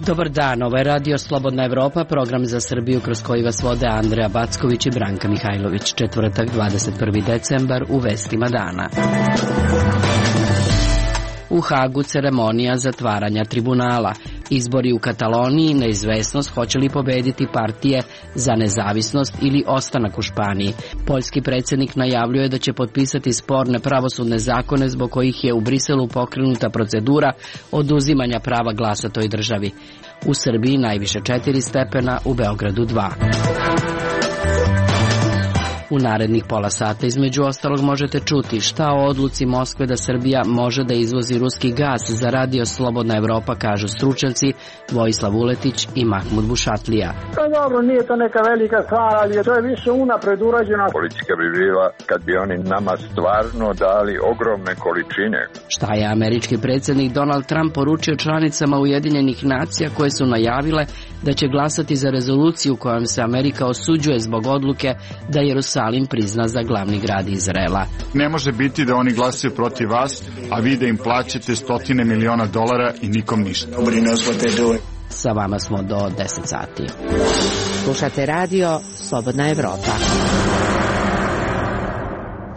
Dobar dan, ovo je Radio Slobodna Evropa, program za Srbiju kroz koji vas vode Andreja Backović i Branka Mihajlović. Četvrtak, 21. decembar, u vestima dana. U Hagu ceremonija zatvaranja tribunala. Izbori u Kataloniji, neizvesnost hoće li pobediti partije za nezavisnost ili ostanak u Španiji. Poljski predsjednik najavljuje da će potpisati sporne pravosudne zakone zbog kojih je u Briselu pokrenuta procedura oduzimanja prava glasa toj državi. U Srbiji najviše 4 stepena, u Beogradu 2. U narednih pola sata između ostalog možete čuti šta o odluci Moskve da Srbija može da izvozi ruski gas za Radio Slobodna Evropa, kažu stručnjaci Vojislav Vuletić i Mahmud Bušatlija. Pa dobro, nije to neka velika stvar, ali to je više unapred urađeno. Politika bi bila kad bi oni nama stvarno dali ogromne količine. Šta je američki predsjednik Donald Trump poručio članicama Ujedinjenih nacija koje su najavile da će glasati za rezoluciju kojom se Amerika osuđuje zbog odluke da Jerusalim prizna za glavni grad Izraela. Ne može biti da oni glasaju protiv vas, a vi da im plaćate $100 miliona i nikom ništa. Sa vama smo do 10 sati. Slušate Radio Slobodna Evropa.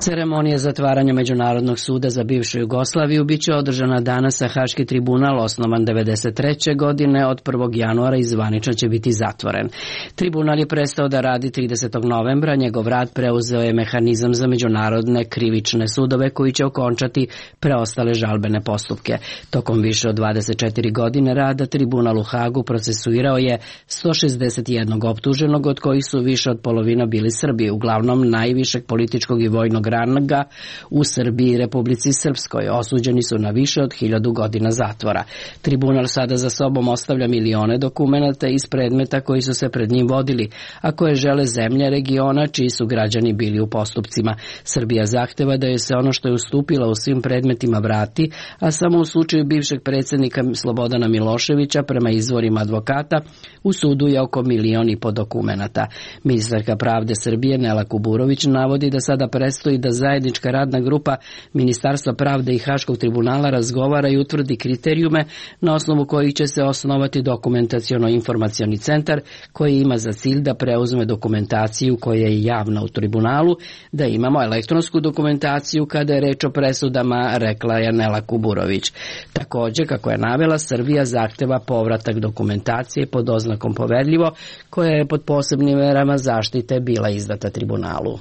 Ceremonija zatvaranja Međunarodnog suda za bivšu Jugoslaviju biće održana danas, a Haški tribunal, osnovan 1993. godine, od 1. januara i zvanično će biti zatvoren. Tribunal je prestao da radi 30. novembra, njegov rad preuzeo je mehanizam za međunarodne krivične sudove koji će okončati preostale žalbene postupke. Tokom više od 24 godine rada tribunal u Hagu procesuirao je 161 optuženog, od kojih su više od polovina bili Srbi, uglavnom najvišeg političkog i vojnog ranga u Srbiji i Republici Srpskoj. Osuđeni su na više od 1000 godina zatvora. Tribunal sada za sobom ostavlja milione dokumenata iz predmeta koji su se pred njim vodili, a koje žele zemlje regiona čiji su građani bili u postupcima. Srbija zahteva da joj se ono što je ustupila u svim predmetima vrati, a samo u slučaju bivšeg predsjednika Slobodana Miloševića, prema izvorima advokata, u sudu je oko 1,5 miliona dokumenata. Ministarka pravde Srbije Nela Kuburović navodi da sada predstoji da zajednička radna grupa Ministarstva pravde i Haškog tribunala razgovara i utvrdi kriterijume na osnovu kojih će se osnovati dokumentaciono-informacioni centar koji ima za cilj da preuzme dokumentaciju koja je javna u tribunalu, da imamo elektronsku dokumentaciju kada je reč o presudama, rekla je Nela Kuburović. Također, kako je navela, Srbija zahteva povratak dokumentacije pod oznakom poverljivo, koja je pod posebnim merama zaštite bila izdata tribunalu.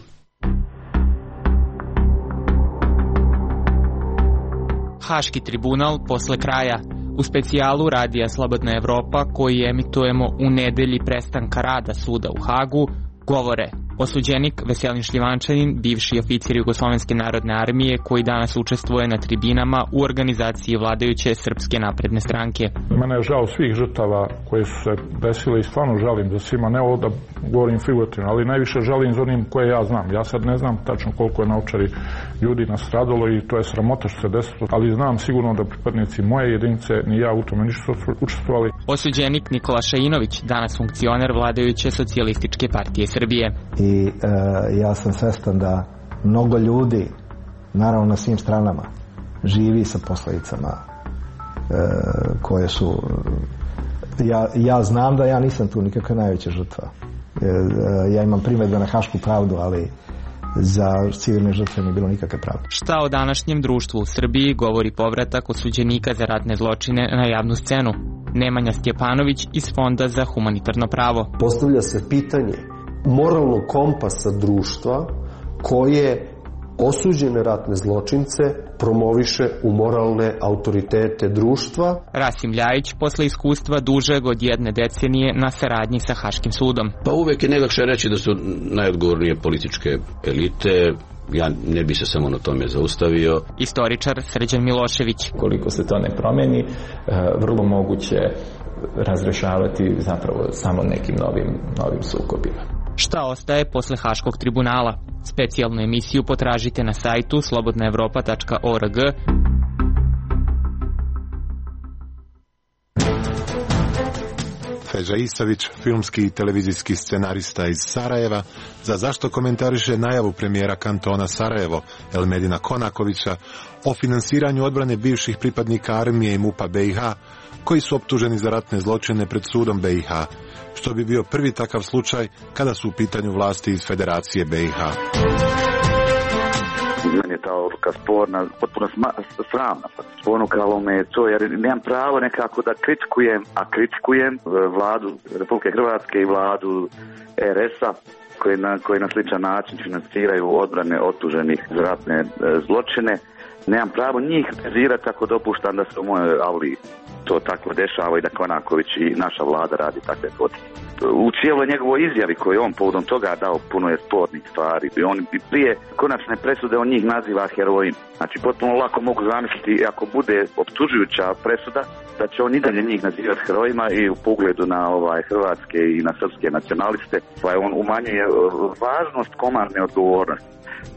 Haški tribunal posle kraja. U specijalu Radija Slobodna Evropa, koji emitujemo u nedelji prestanka rada suda u Hagu, govore osuđenik Veselin Šljivančanin, bivši oficir Jugoslovenske narodne armije koji danas učestvuje na tribinama u organizaciji vladajuće Srpske napredne stranke. Mene je žao svih žrtava koje su se desile i stvarno žalim za svima, ne ovo da govorim figurativno, ali najviše žalim za onim koje ja znam. Ja sad ne znam tačno koliko je na Ovčari ljudi nastradalo i to je sramota što se desilo, ali znam sigurno da pripadnici moje jedinice ni ja u tome nisu učestvovali. Osuđenik Nikola Šainović, danas funkcioner vladajuće Socijalističke partije Srbije. I ja sam svestan da mnogo ljudi, naravno na svim stranama, živi sa posljedicama koje su... Ja znam da ja nisam tu nikakva najveća žrtva. Ja imam primjedbe na hašku pravdu, ali za civilne žrtve nije bilo nikakve pravde. Šta o današnjem društvu u Srbiji govori povratak osuđenika za ratne zločine na javnu scenu? Nemanja Stjepanović iz Fonda za humanitarno pravo. Postavlja se pitanje moralnog kompasa društva koje osuđene ratne zločince promoviše u moralne autoritete društva. Rasim Ljajić, posle iskustva dužeg od 1 decenije na saradnji sa Haškim sudom. Pa uvek je najlakše reći da su najodgovornije političke elite. Ja ne bi se samo na tome zaustavio. Istoričar Srđan Milošević. Koliko se to ne promeni, vrlo moguće razrešavati zapravo samo nekim novim sukobima. Šta ostaje posle Haškog tribunala? Specijalnu emisiju potražite na sajtu slobodnaevropa.org. Feđa Isavić, filmski i televizijski scenarista iz Sarajeva, za Zašto komentariše najavu premijera kantona Sarajevo, Elmedina Konakovića, o finansiranju odbrane bivših pripadnika armije i MUP-a BiH, koji su optuženi za ratne zločine pred sudom BiH, što bi bio prvi takav slučaj kada su u pitanju vlasti iz Federacije BiH. Meni je ta odluka sporna, potpuno sramna. Ponukalo me to, jer nemam pravo nekako da kritikujem vladu Republike Hrvatske i vladu RS-a koji na sličan način financiraju odbrane optuženih za ratne zločine. Nemam pravo njih kritizirati ako dopuštam da se u mojoj avli to tako dešava i da Konaković i naša vlada radi takve poteze. U cijeloj njegovoj izjavi koju je on povodom toga dao, puno je spornih stvari. On bi prije konačne presude on njih naziva herojima. Znači potpuno lako mogu zamisliti ako bude optužujuća presuda da će on i dalje njih nazivati herojima i u pogledu na hrvatske i na srpske nacionaliste, pa on umanjuje važnost komandne odgovornosti.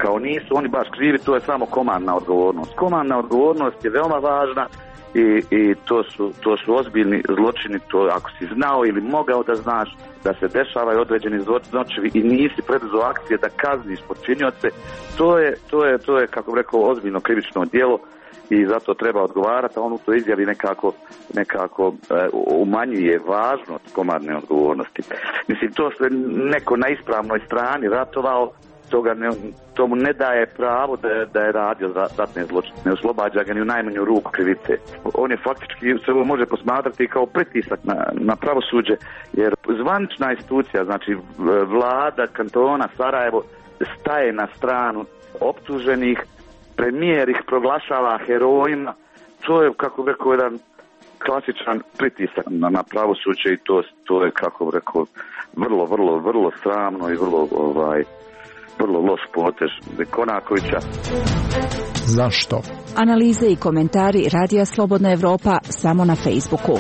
Kao nisu oni baš krivi, to je samo komandna odgovornost. Komandna odgovornost je veoma važna i to su ozbiljni zločini. To ako si znao ili mogao da znaš da se dešavaju određeni zločini i nisi preduzeo akcije da kazniš počinioce, to je kako bih rekao ozbiljno krivično djelo i zato treba odgovarati, a on u toj izjavi nekako umanjuje važnost komandne odgovornosti. Mislim, to što je neko na ispravnoj strani ratovao, to mu ne daje pravo da je radio ratne zločine, ne oslobađa ga ni u najmanju ruku krivice. On je faktički se ovo može posmatrati kao pritisak na pravosuđe, jer zvanična institucija, znači vlada kantona Sarajevo, staje na stranu optuženih, premijer ih proglašava herojima. To je, kako bih rekao, jedan klasičan pritisak na pravosuđe i to je, kako bih rekao, vrlo sramno i vrlo loš potez Konakovića. Zašto? Analize i komentari Radija Slobodna Evropa samo na Facebooku.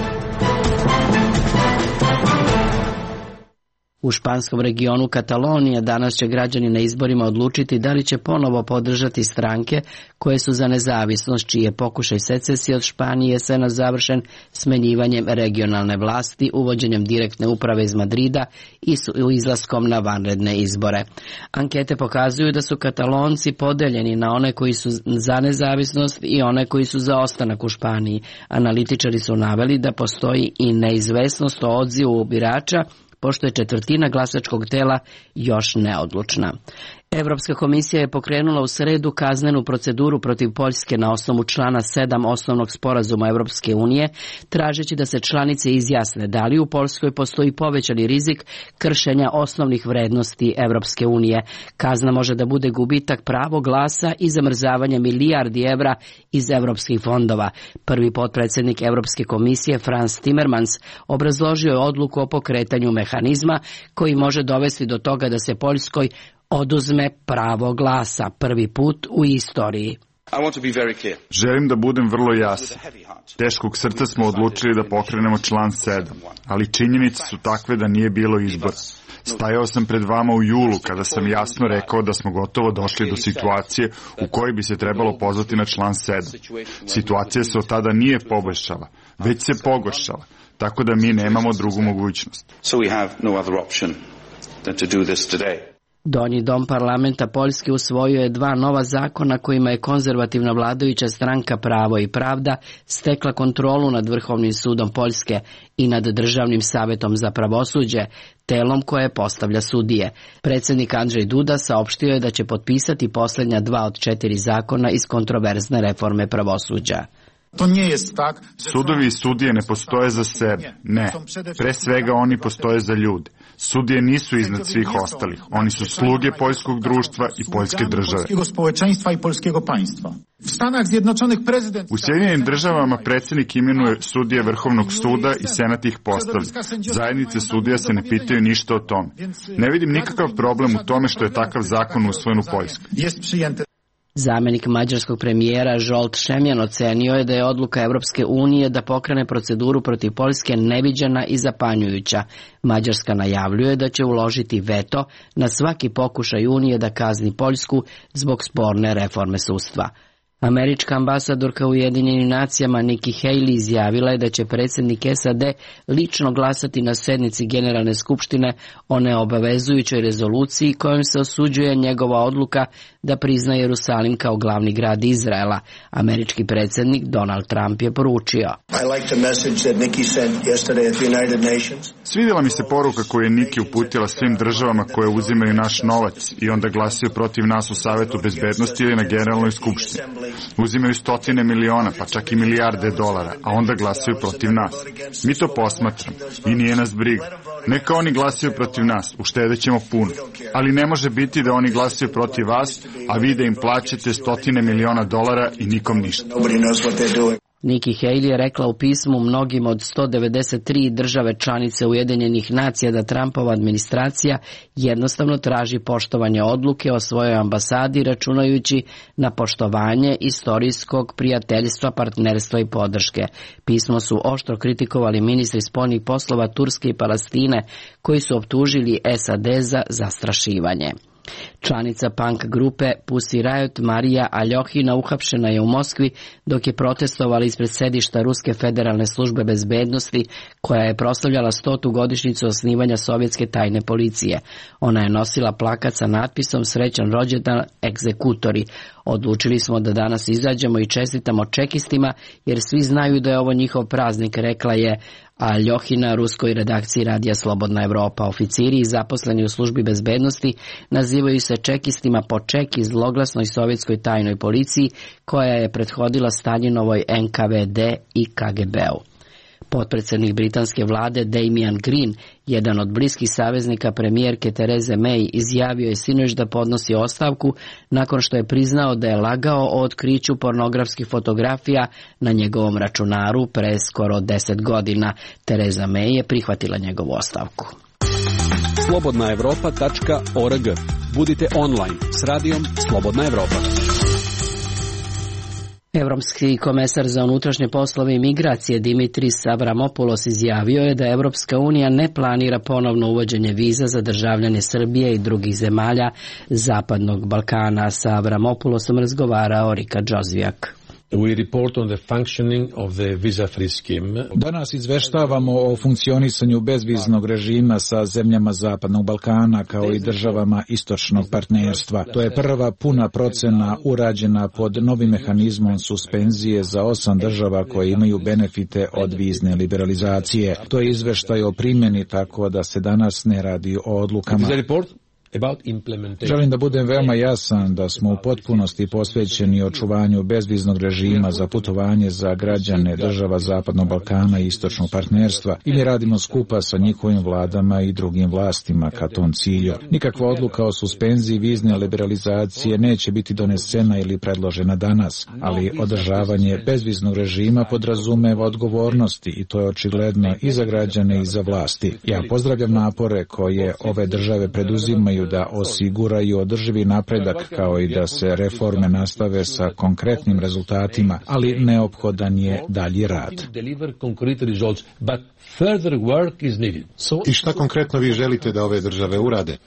U španskom regionu Katalonija danas će građani na izborima odlučiti da li će ponovo podržati stranke koje su za nezavisnost, čiji je pokušaj secesije od Španije jesenas završen smenjivanjem regionalne vlasti, uvođenjem direktne uprave iz Madrida i izlaskom na vanredne izbore. Ankete pokazuju da su Katalonci podeljeni na one koji su za nezavisnost i one koji su za ostanak u Španiji. Analitičari su naveli da postoji i neizvesnost o odzivu birača, pošto je četvrtina glasačkog tela još neodlučna. Evropska komisija je pokrenula u sredu kaznenu proceduru protiv Poljske na osnovu člana 7 osnovnog sporazuma Evropske unije, tražeći da se članice izjasne da li u Poljskoj postoji povećani rizik kršenja osnovnih vrednosti Evropske unije. Kazna može da bude gubitak pravo glasa i zamrzavanje milijardi evra iz evropskih fondova. Prvi potpredsjednik Evropske komisije Frans Timmermans obrazložio je odluku o pokretanju mehanizma koji može dovesti do toga da se Poljskoj oduzme pravo glasa, prvi put u istoriji. Želim da budem vrlo jasan. Teškog srca smo odlučili da pokrenemo član 7, ali činjenice su takve da nije bilo izbora. Stajao sam pred vama u julu kada sam jasno rekao da smo gotovo došli do situacije u kojoj bi se trebalo pozvati na član 7. Situacija se od tada nije poboljšala, već se pogoršala, tako da mi nemamo drugu mogućnost. Donji dom parlamenta Poljske usvojio je 2 nova zakona kojima je konzervativna vladajuća stranka Pravo i pravda stekla kontrolu nad Vrhovnim sudom Poljske i nad Državnim savjetom za pravosuđe, telom koje postavlja sudije. Predsjednik Andrzej Duda saopštio je da će potpisati posljednja 2 od 4 zakona iz kontroverzne reforme pravosuđa. Sudovi i sudije ne postoje za sebe, ne. Pre svega oni postoje za ljude. Sudije nisu iznad svih ostalih. Oni su sluge poljskog društva i poljske države. U Sjedinjenim državama predsjednik imenuje sudije Vrhovnog suda i senat ih postavlja. Zajednice sudija se ne pitaju ništa o tome. Ne vidim nikakav problem u tome što je takav zakon usvojen u Poljskoj. Zamjenik mađarskog premijera Zsolt Šemjan ocenio je da je odluka Evropske unije da pokrene proceduru protiv Poljske neviđena i zapanjujuća. Mađarska najavljuje da će uložiti veto na svaki pokušaj Unije da kazni Poljsku zbog sporne reforme sudstva. Američka ambasadorka u Ujedinjenim nacijama Nikki Haley izjavila je da će predsjednik SAD lično glasati na sednici Generalne skupštine o neobavezujućoj rezoluciji kojom se osuđuje njegova odluka da prizna Jerusalim kao glavni grad Izraela. Američki predsjednik Donald Trump je poručio: Svidjela mi se poruka koju je Nikki uputila svim državama koje uzimaju naš novac i onda glasaju protiv nas u Savetu bezbednosti ili na Generalnoj skupštini. Uzimaju stotine miliona, pa čak i milijarde dolara, a onda glasaju protiv nas. Mi to posmatramo i nije nas briga. Neka oni glasaju protiv nas, uštedećemo puno. Ali ne može biti da oni glasaju protiv vas, a vi da im plaćate stotine miliona dolara i nikom ništa. Nikki Haley je rekla u pismu mnogim od 193 države članice Ujedinjenih nacija da Trumpova administracija jednostavno traži poštovanje odluke o svojoj ambasadi, računajući na poštovanje istorijskog prijateljstva, partnerstva i podrške. Pismo su oštro kritikovali ministri spoljnih poslova Turske i Palestine, koji su optužili SAD za zastrašivanje. Članica punk grupe Pussy Riot Marija Aljohina uhapšena je u Moskvi dok je protestovala ispred sedišta Ruske federalne službe bezbednosti koja je proslavljala 100. godišnjicu osnivanja sovjetske tajne policije. Ona je nosila plakat sa natpisom "Srećan rođendan egzekutori". Odlučili smo da danas izađemo i čestitamo čekistima jer svi znaju da je ovo njihov praznik, rekla je Aljohina ruskoj redakciji Radija Slobodna Evropa. Oficiri i zaposleni u službi bezbednosti nazivaju se čekistima po čeki zloglasnoj sovjetskoj tajnoj policiji koja je prethodila Staljinovoj NKVD i KGB-u. Potpredsjednik britanske vlade Damian Green, jedan od bliskih saveznika premijerke Therese May, izjavio je sinoć da podnosi ostavku nakon što je priznao da je lagao o otkriću pornografskih fotografija na njegovom računaru pre skoro 10 godina. Theresa May je prihvatila njegovu ostavku. slobodnaevropa.org. Budite online s radijom Slobodna Evropa. Evropski komesar za unutrašnje poslove i migracije Dimitris Avramopoulos izjavio je da Evropska unija ne planira ponovno uvođenje viza za državljane Srbije i drugih zemalja Zapadnog Balkana. Sa Avramopoulosom razgovarao Rika Đozvijak. Danas izveštavamo o funkcionisanju bezviznog režima sa zemljama Zapadnog Balkana kao i državama istočnog partnerstva. To je prva puna procena urađena pod novim mehanizmom suspenzije za 8 država koje imaju benefite od vizne liberalizacije. To je izveštaj o primjeni, tako da se danas ne radi o odlukama. Želim da budem veoma jasan da smo u potpunosti posvećeni očuvanju bezviznog režima za putovanje za građane država Zapadnog Balkana i istočnog partnerstva i mi radimo skupa sa njihovim vladama i drugim vlastima ka tom cilju. Nikakva odluka o suspenziji vizne liberalizacije neće biti donesena ili predložena danas, ali održavanje bezviznog režima podrazumeva odgovornosti i to je očigledno i za građane i za vlasti. Ja pozdravljam napore koje ove države preduzimaju da osiguraju održivi napredak kao i da se reforme nastave sa konkretnim rezultatima, ali neophodan je dalji rad. I šta konkretno vi želite da ove države urade?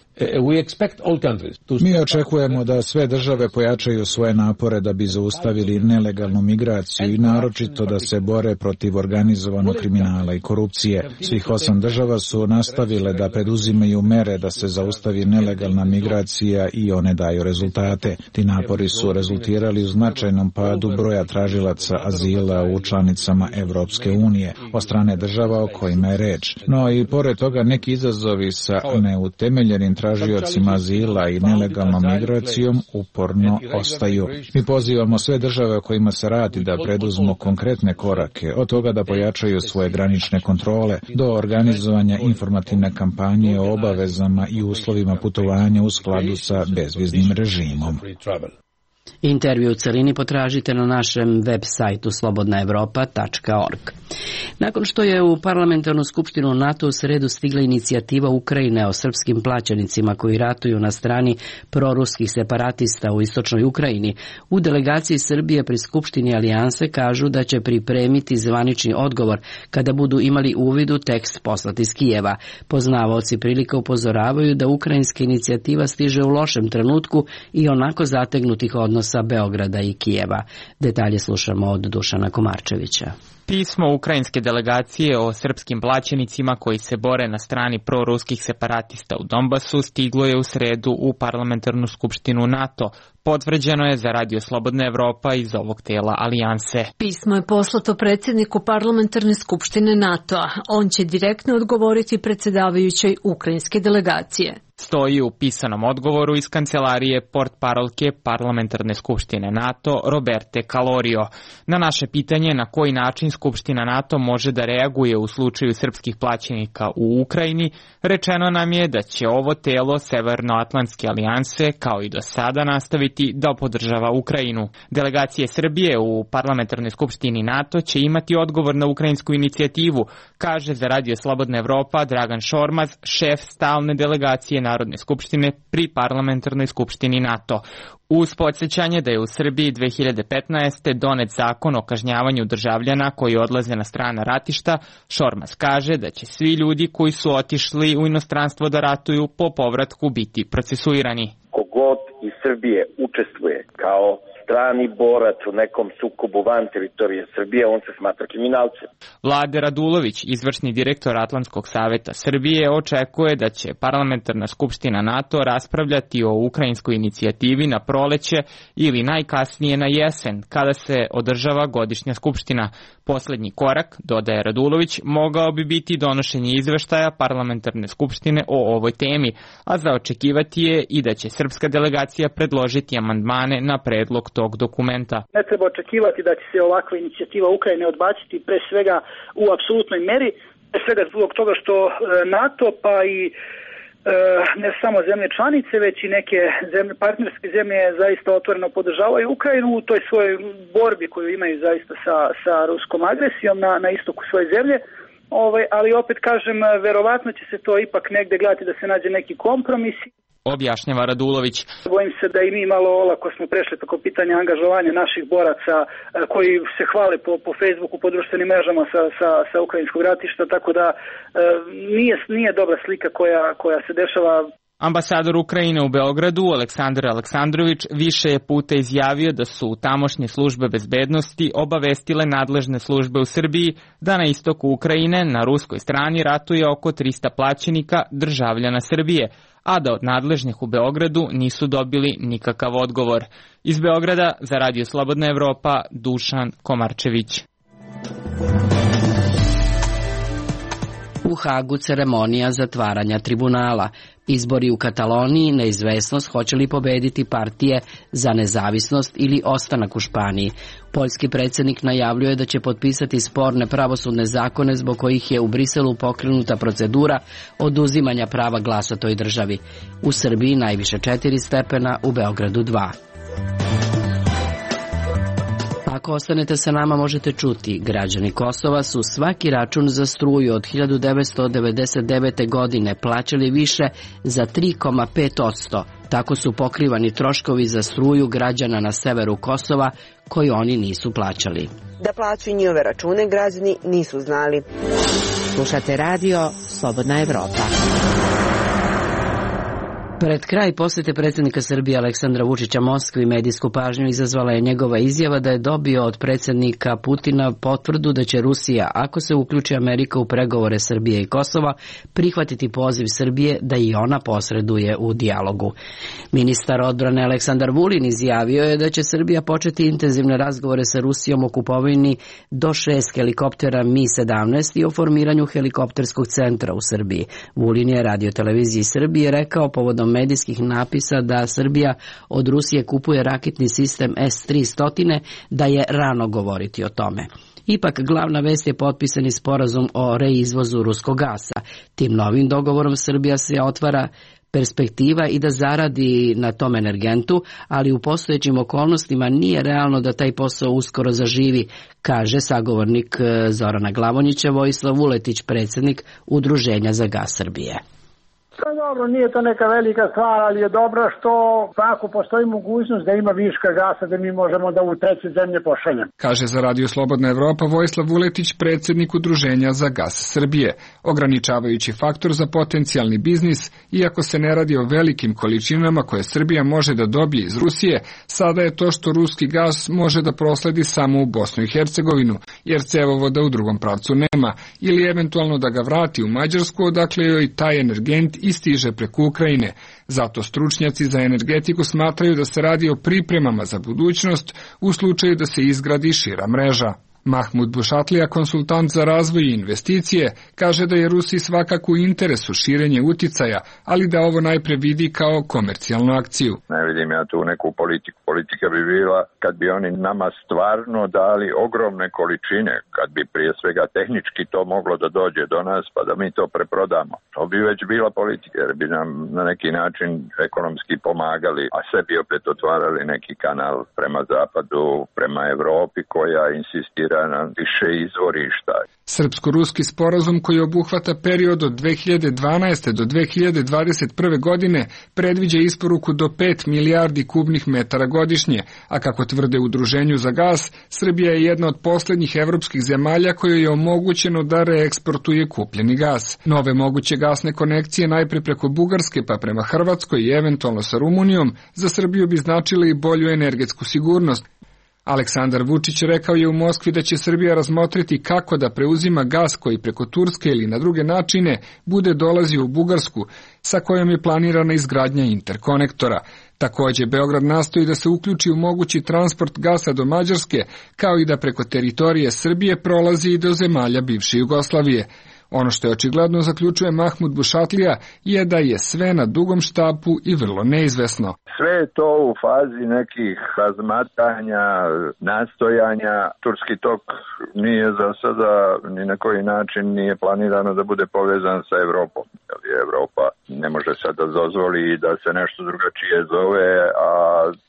Mi očekujemo da sve države pojačaju svoje napore da bi zaustavili nelegalnu migraciju i naročito da se bore protiv organizovanog kriminala i korupcije. Svih 8 država su nastavile da preduzimaju mere da se zaustavi nelegalna migracija i one daju rezultate. Ti napori su rezultirali u značajnom padu broja tražilaca azila u članicama Evropske unije od strane država o kojima je reč. No i pored toga neki izazovi sa neutemeljenim tražiocima azila i nelegalnom migracijom uporno ostaju. Mi pozivamo sve države o kojima se radi da preduzmu konkretne korake, od toga da pojačaju svoje granične kontrole, do organizovanja informativne kampanje o obavezama i uslovima putovanja u skladu sa bezviznim režimom. Intervju u celini potražite na našem web sajtu slobodnaevropa.org. Nakon što je u parlamentarnu skupštinu NATO u sredu stigla inicijativa Ukrajine o srpskim plaćenicima koji ratuju na strani proruskih separatista u istočnoj Ukrajini, u delegaciji Srbije pri skupštini Alijanse kažu da će pripremiti zvanični odgovor kada budu imali uvid u tekst poslat iz Kijeva. Poznavaoci prilika upozoravaju da ukrajinska inicijativa stiže u lošem trenutku i onako zategnutih odnosa odnosa Beograda i Kijeva. Detalje slušamo od Dušana Komarčevića. Pismo ukrajinske delegacije o srpskim plaćenicima koji se bore na strani proruskih separatista u Donbasu stiglo je u sredu u parlamentarnu skupštinu NATO. Potvrđeno je za Radio Slobodna Evropa iz ovog tela alijanse. Pismo je poslato predsjedniku parlamentarne skupštine NATO-a. On će direktno odgovoriti predsjedavajućoj ukrajinske delegacije. Stoji u pisanom odgovoru iz kancelarije portparolke parlamentarne skupštine NATO Roberte Calorio. Na naše pitanje na koji način skupština NATO može da reaguje u slučaju srpskih plaćenika u Ukrajini, rečeno nam je da će ovo telo Severnoatlantske alijanse kao i do sada nastaviti da podržava Ukrajinu. Delegacije Srbije u parlamentarnoj skupštini NATO će imati odgovor na ukrajinsku inicijativu, kaže za Radio Slobodna Evropa Dragan Šormaz, šef stalne delegacije Narodne skupštine pri parlamentarnoj skupštini NATO. Uz podsjećanje da je u Srbiji 2015. donet zakon o kažnjavanju državljana koji odlaze na strana ratišta, Šormaz kaže da će svi ljudi koji su otišli u inostranstvo da ratuju po povratku biti procesuirani. Kogod iz Srbije učestvuje kao strani borac u nekom sukobu van teritorije Srbije, on se smatra kriminalcem. Vlade Radulović, izvršni direktor Atlantskog saveta Srbije, očekuje da će parlamentarna skupština NATO raspravljati o ukrajinskoj inicijativi na proleće ili najkasnije na jesen, kada se održava godišnja skupština. Poslednji korak, dodaje Radulović, mogao bi biti donošenje izveštaja parlamentarne skupštine o ovoj temi, a za očekivati je i da će srpska delegacija predložiti amandmane na predlog tog dokumenta. Ne treba očekivati da će se ovakva inicijativa Ukrajine odbaciti pre svega u apsolutnoj meri, pre svega zbog toga što NATO pa i ne samo zemlje članice, već i neke partnerske zemlje zaista otvoreno podržavaju Ukrajinu u toj svojoj borbi koju imaju zaista sa ruskom agresijom na istoku svoje zemlje. Ali opet kažem, verovatno će se to ipak negde gledati da se nađe neki kompromis. Objašnjava Radulović. Bojim se da i mi malo olako smo prešli preko pitanja angažovanja naših boraca koji se hvale po Facebooku, po društvenim mrežama sa ukrajinskog ratišta, tako da nije dobra slika koja se dešava. Ambasador Ukrajine u Beogradu, Aleksandar Aleksandrović, više je puta izjavio da su tamošnje službe bezbednosti obavestile nadležne službe u Srbiji da na istoku Ukrajine na ruskoj strani ratuje oko 300 plaćenika državljana Srbije, a da od nadležnih u Beogradu nisu dobili nikakav odgovor. Iz Beograda za Radio Slobodna Evropa, Dušan Komarčević. U Hagu ceremonija zatvaranja tribunala. Izbori u Kataloniji, neizvesnost hoće li pobediti partije za nezavisnost ili ostanak u Španiji. Poljski predsjednik najavljuje da će potpisati sporne pravosudne zakone zbog kojih je u Briselu pokrenuta procedura oduzimanja prava glasa toj državi. U Srbiji najviše 4 stepena, u Beogradu 2. Ako ostanete sa nama možete čuti, građani Kosova su svaki račun za struju od 1999. godine plaćali više za 3,5%. Tako su pokrivani troškovi za struju građana na severu Kosova koji oni nisu plaćali. Da plaćaju njihove račune građani nisu znali. Slušate radio Slobodna Evropa. Pred kraj posjete predsjednika Srbije Aleksandra Vučića Moskvi medijsku pažnju izazvala je njegova izjava da je dobio od predsjednika Putina potvrdu da će Rusija, ako se uključi Amerika u pregovore Srbije i Kosova, prihvatiti poziv Srbije da i ona posreduje u dijalogu. Ministar odbrane Aleksandar Vulin izjavio je da će Srbija početi intenzivne razgovore sa Rusijom o kupovini do 6 helikoptera Mi-17 i o formiranju helikopterskog centra u Srbiji. Vulin je radioteleviziji Srbije rekao povodom medijskih napisa da Srbija od Rusije kupuje raketni sistem S-300, da je rano govoriti o tome. Ipak, glavna vest je potpisani sporazum o reizvozu ruskog gasa. Tim novim dogovorom Srbija se otvara perspektiva i da zaradi na tom energentu, ali u postojećim okolnostima nije realno da taj posao uskoro zaživi, kaže sagovornik Zorana Glavonjića Vojislav Vuletić, predsjednik Udruženja za gas Srbije. Dobro, nije to neka velika stvar, ali je dobro što ako postoji mogućnost da ima viška gasa, da mi možemo da u treće zemlje pošaljemo. Kaže za Radio Slobodna Evropa Vojislav Vuletić, predsjednik Udruženja za gas Srbije. Ograničavajući faktor za potencijalni biznis, iako se ne radi o velikim količinama koje Srbija može da dobije iz Rusije, sada je to što ruski gas može da prosledi samo u Bosnu i Hercegovinu, jer cevovoda u drugom pravcu nema, ili eventualno da ga vrati u Mađarsku, odakle joj taj energent i stiže preko Ukrajine. Zato stručnjaci za energetiku smatraju da se radi o pripremama za budućnost u slučaju da se izgradi šira mreža. Mahmud Bušatlija, konsultant za razvoj i investicije, kaže da je Rusiji svakako u interesu širenje uticaja, ali da ovo najpre vidi kao komercijalnu akciju. Ne vidim ja tu neku politiku. Politika bi bila kad bi oni nama stvarno dali ogromne količine, kad bi prije svega tehnički to moglo da dođe do nas pa da mi to preprodamo. To bi već bila politika jer bi nam na neki način ekonomski pomagali, a sebi opet otvarali neki kanal prema zapadu, prema Evropi koja insistira na više izvorišta. Srpsko-ruski sporazum koji obuhvata period od 2012. do 2021. godine predviđa isporuku do 5 milijardi kubnih metara godišnje, a kako tvrde Udruženju za gas, Srbija je jedna od posljednjih evropskih zemalja kojoj je omogućeno da reeksportuje kupljeni gas. Nove moguće gasne konekcije najpre preko Bugarske pa prema Hrvatskoj i eventualno sa Rumunijom za Srbiju bi značile i bolju energetsku sigurnost. Aleksandar Vučić rekao je u Moskvi da će Srbija razmotriti kako da preuzima gas koji preko Turske ili na druge načine bude dolazio u Bugarsku, sa kojom je planirana izgradnja interkonektora. Također, Beograd nastoji da se uključi u mogući transport gasa do Mađarske, kao i da preko teritorije Srbije prolazi i do zemalja bivše Jugoslavije. Ono što je očigledno, zaključuje Mahmud Bušatlija, je da je sve na dugom štapu i vrlo neizvesno. Sve je to u fazi nekih razmatanja, nastojanja. Turski tok nije za sada ni na koji način nije planirano da bude povezan sa Evropom. Evropa ne može sad da dozvoli da se nešto drugačije zove, a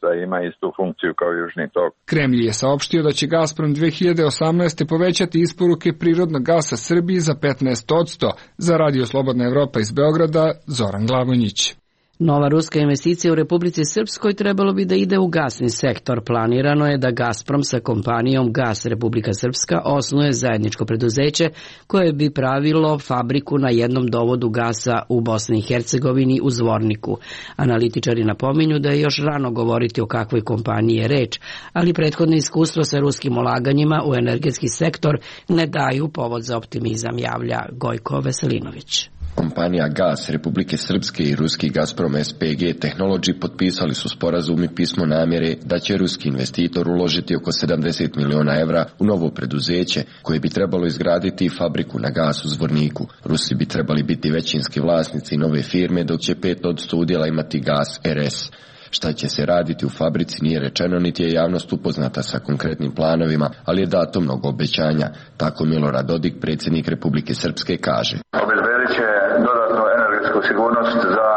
da ima istu funkciju kao Južni tok. Kremlj je saopštio da će Gazprom 2018. povećati isporuke prirodnog gasa Srbiji za 15%. Za Radio Slobodna Evropa iz Beograda, Zoran Glavonjić. Nova ruska investicija u Republici Srpskoj trebalo bi da ide u gasni sektor. Planirano je da Gazprom sa kompanijom Gas Republika Srpska osnuje zajedničko preduzeće koje bi pravilo fabriku na jednom dovodu gasa u Bosni i Hercegovini u Zvorniku. Analitičari napominju da je još rano govoriti o kakvoj kompaniji je reč, ali prethodno iskustvo sa ruskim ulaganjima u energetski sektor ne daju povod za optimizam, javlja Gojko Veselinović. Kompanija Gas Republike Srpske i ruski Gazprom SPG Technology potpisali su sporazum i pismo namjere da će ruski investitor uložiti oko 70 miliona evra u novo preduzeće koje bi trebalo izgraditi fabriku na gas u Zvorniku. Rusi bi trebali biti većinski vlasnici nove firme, dok će 5% udjela imati Gas RS. Šta će se raditi u fabrici nije rečeno, niti je javnost upoznata sa konkretnim planovima, ali je dato mnogo obećanja. Tako Milorad Dodik, predsjednik Republike Srpske, kaže. Obezbedit će dodatnu energetsku sigurnost za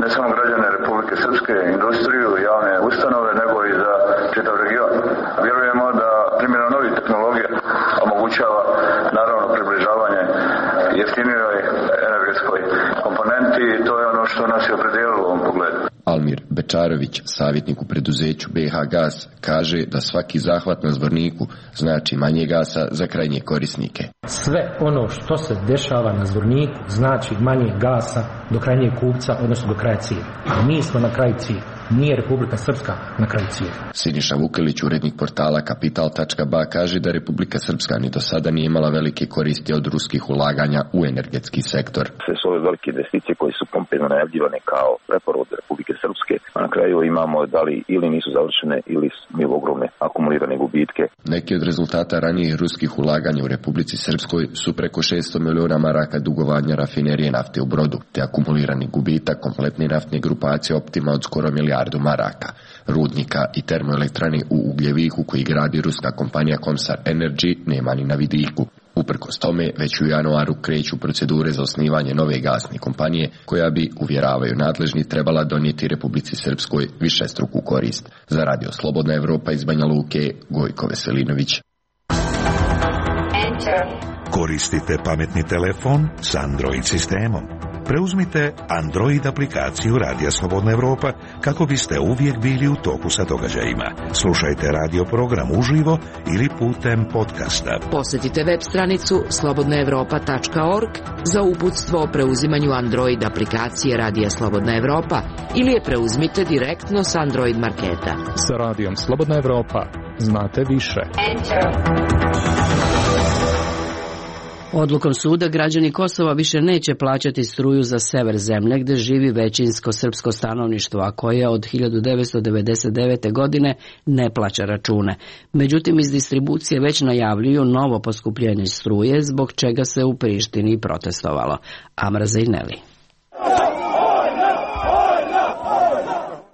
ne samo građane Republike Srpske, industriju, javne ustanove, nego i za čitav region. Vjerujemo da primjena novih tehnologija omogućava naravno približavanje jeftinijoj energetskoj komponenti i to je ono što nas je opredijelilo u ovom pogledu. Almir Bečarović, savjetnik u preduzeću BH Gas, kaže da svaki zahvat na Zvorniku znači manje gasa za krajnje korisnike. Sve ono što se dešava na Zvorniku znači manje gasa do krajnjeg kupca, odnosno do kraja cilja. Mi smo na kraju cilja. Nije Republika Srpska na kraju cilja. Siniša Vukelić, urednik portala Kapital.ba, kaže da Republika Srpska ni do sada nije imala velike koristi od ruskih ulaganja u energetski sektor. Sve su ove velike investicije koje su pompezno najavljivane kao preporod Republike Srpske, a na kraju imamo da li ili nisu završene ili imaju ogromne akumulirane gubitke. Neki od rezultata ranijih ruskih ulaganja u Republici Srpskoj su preko 600 miliona maraka dugovanja rafinerije nafte u Brodu, te akumulirani gubitak kompletne naftne grupacije Optima od skoro milijardu maraka, rudnika i termoelektrane u Ugljeviku koji gradi ruska kompanija Komsar Energy nema ni na vidiku. Uprkos tome, već u januaru kreću procedure za osnivanje nove gasne kompanije koja bi, uvjeravaju nadležni, trebala donijeti Republici Srpskoj višestruku korist. Za Radio Slobodna Evropa iz Banja Luke, Gojko Veselinović. Koristite pametni telefon s Android sistemom. Preuzmite Android aplikaciju Radija Slobodna Evropa kako biste uvijek bili u toku sa događajima. Slušajte radio program uživo ili putem podcasta. Posjetite web stranicu slobodnaevropa.org za uputstvo o preuzimanju Android aplikacije Radija Slobodna Evropa ili je preuzmite direktno s Android marketa. Sa Radijom Slobodna Evropa znate više. Odlukom suda građani Kosova više neće plaćati struju za sever zemlje gdje živi većinsko srpsko stanovništvo, a koje od 1999. godine ne plaća račune. Međutim, iz distribucije već najavljuju novo poskupljenje struje, zbog čega se u Prištini protestovalo. Amra Zejneli.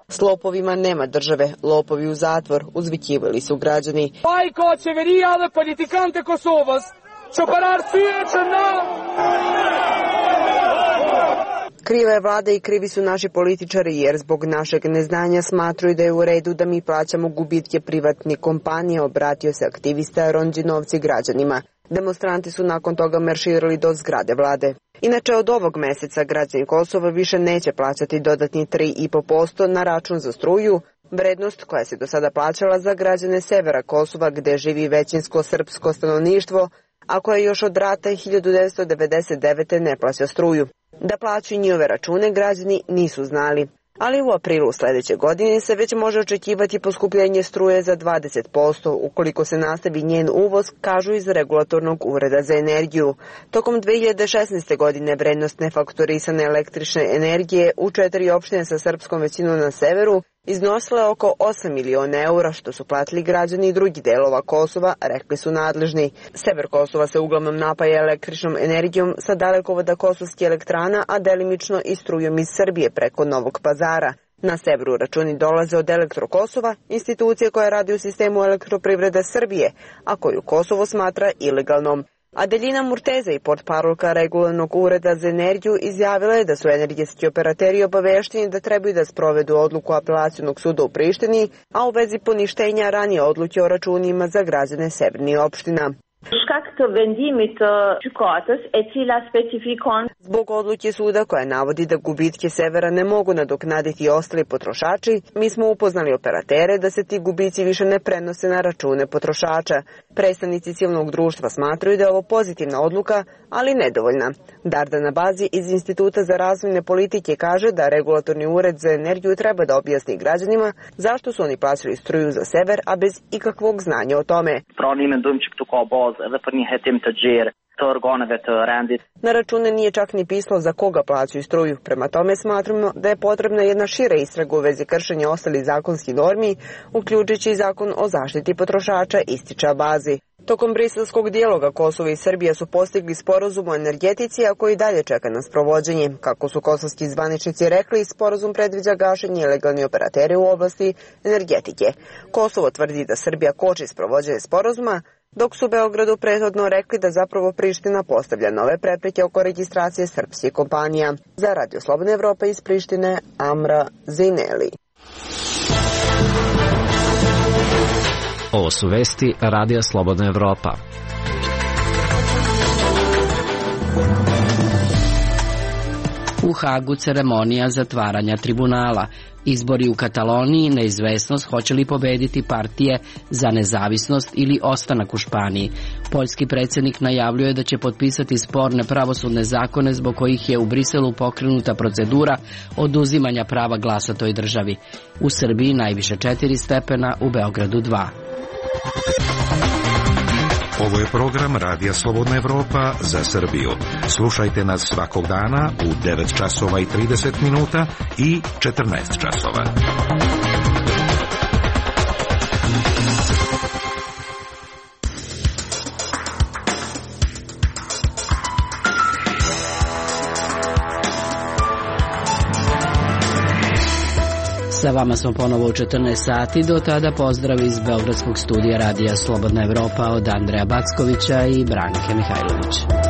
S lopovima nema države, lopovi u zatvor, uzvikivali su građani. Kriva je vlada i krivi su naši političari jer zbog našeg neznanja smatruju da je u redu da mi plaćamo gubitke privatnih kompanija, obratio se aktivista Ronđinovci građanima. Demonstranti su nakon toga marširali do zgrade vlade. Inače, od ovog meseca građani Kosova više neće plaćati dodatni 3,5% na račun za struju, vrednost koja se do sada plaćala za građane severa Kosova gde živi većinsko srpsko stanovništvo, a koje još od rata 1999. ne plaća struju. Da plaćaju njihove račune građani nisu znali. Ali u aprilu sljedeće godine se već može očekivati poskupljenje struje za 20% ukoliko se nastavi njen uvoz, kažu iz Regulatornog ureda za energiju. Tokom 2016. godine vrednost nefaktorisane električne energije u 4 opštine sa srpskom većinom na severu iznosila je oko 8 miliona eura, što su platili građani drugih delova Kosova, rekli su nadležni. Sever Kosova se uglavnom napaja električnom energijom sa dalekovoda Kosovskih elektrana, a delimično i strujom iz Srbije preko Novog Pazara. Na severu računi dolaze od Elektro-Kosova, institucije koja radi u sistemu elektroprivrede Srbije, a koju Kosovo smatra ilegalnom. Adelina Murteza i portparolka Regulatornog ureda za energiju izjavila je da su energetski operateri obavešteni da trebaju da sprovedu odluku apelacionog suda u Prištini, a u vezi poništenja ranije odluke o računima za građane severnih opština. Zbog odluke suda koja navodi da gubitke severa ne mogu nadoknaditi i ostali potrošači, mi smo upoznali operatere da se ti gubici više ne prenose na račune potrošača. Predstavnici civilnog društva smatraju da je ovo pozitivna odluka, ali nedovoljna. Dardana Bazi iz Instituta za razvojne politike kaže da Regulatorni ured za energiju treba da objasni građanima zašto su oni plaćali struju za sever, a bez ikakvog znanja o tome. Na račune nije čak ni pisalo za koga plaćaju struju. Prema tome smatramo da je potrebna jedna šira istraga u vezi kršenja ostalih zakonskih normi, uključujući zakon o zaštiti potrošača, ističe Bazi. Tokom briselskog dijaloga Kosovo i Srbija su postigli sporazum o energetici, a koji dalje čeka na sprovođenje. Kako su kosovski zvaničnici rekli, sporazum predviđa gašenje ilegalnih operatera u oblasti energetike. Kosovo tvrdi da Srbija koči sprovođenje sporazuma, dok su Beogradu prethodno rekli da zapravo Priština postavlja nove prepreke oko registracije srpskih kompanija. Za Radio Slobodna Evropa iz Prištine, Amra Zejneli. Ovo su vesti Radija Slobodna Evropa. U Hagu ceremonija zatvaranja tribunala. Izbori u Kataloniji, neizvesnost hoće li pobediti partije za nezavisnost ili ostanak u Španiji. Poljski predsjednik najavljuje da će potpisati sporne pravosudne zakone zbog kojih je u Briselu pokrenuta procedura oduzimanja prava glasa toj državi. U Srbiji najviše 4 stepena, u Beogradu 2. Ovo je program Radija Slobodna Evropa za Srbiju. Slušajte nas svakog dana u 9 časova i 30 minuta i 14 časova. Sa vama smo ponovo u 14 sati, do tada pozdrav iz Beogradskog studija Radija Slobodna Evropa od Andreja Backovića i Branke Mihajlovića.